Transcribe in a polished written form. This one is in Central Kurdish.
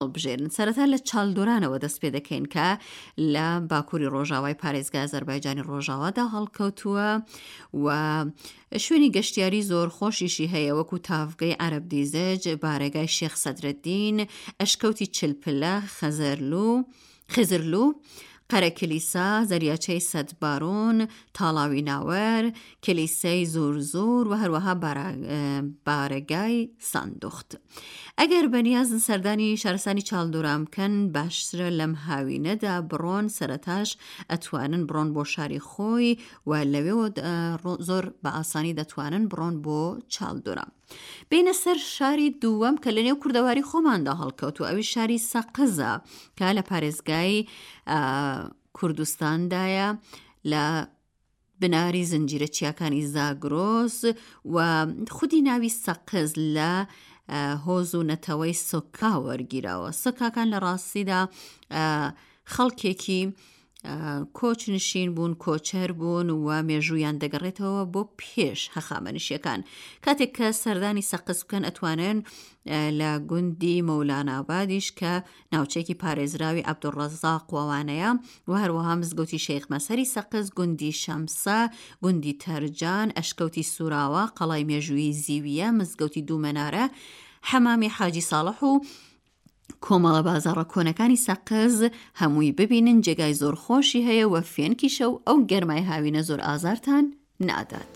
هەڵبژێرن. سەرەتا لە چالدۆرانەوە دەست پێ دەکەین کە لە باکووری ڕۆژاوای پارێزگای ئازەربایجانی ڕۆژاوادا هەڵکەوتووە و شوێنی گەشتیاری زۆر خۆشیشی هەیە وەکو تاڤگەی عەرەب دیزەج، بارەگای شێخ سەدرەدین، ئەشکەوتی چلپلە، خەزەرلوو، خزرلوو، قەرەکلیسا، زەریاچەی سەدبارۆن، تاڵاوی ناوەر، کلیسەی زۆرزۆر و هەروەها بارەگای ساندوخت. ئەگەر بەنیازن سەردانی شارستانی چاڵدوران بکەن باشترە لەم هاوینەدا بڕۆن سەرەتاش ئەتوانن بڕۆن بۆ شاری خۆی و لەوێوە زۆر بە ئاسانی دەتوانن بڕۆن بۆ چاڵدوران. بینە سەر شاری دووەم کە لە نێو کوردەواری خۆماندا هەڵکەوت و ئەوی شاری سەقزە کە لە پارێزگای کوردستاندایە لە بناری زنجیرە چیاکانی زاگرۆس و خودی ناوی سەقز لە هۆز و نەتەوەی سۆکا وەرگیراوە سۆکاکان لە ڕاستیدا خەڵکێکی کۆچ نشین بوون، کۆچەر بوون و مێژوویان دەگەڕێتەوە بۆ پێش هەخامەنشیەکان. کاتێک کە سەردانی سەقز بکەن ئەتوانن لە گوندی مەولانابادیش کە ناوچەیەکی پارێزراوی عەبدولڕەزاق وەوانەیە و هەروەها مزگەوتی شێخ مەسەری سەقز، گوندی شەمسە، گوندی تەرجان، ئەشکەوتی سوراوە، قەڵای مێژوویی زیویە، مزگەوتی دوومەنارە، حەمامی حاجی ساڵح و کۆمەڵە بازاڕە کۆنەکانی سەقز هەمووی ببینن جێگای زۆر خۆشی هەیە و فێنکیشە و ئەو گەرمای هاوینە زۆر ئازارتان نادات.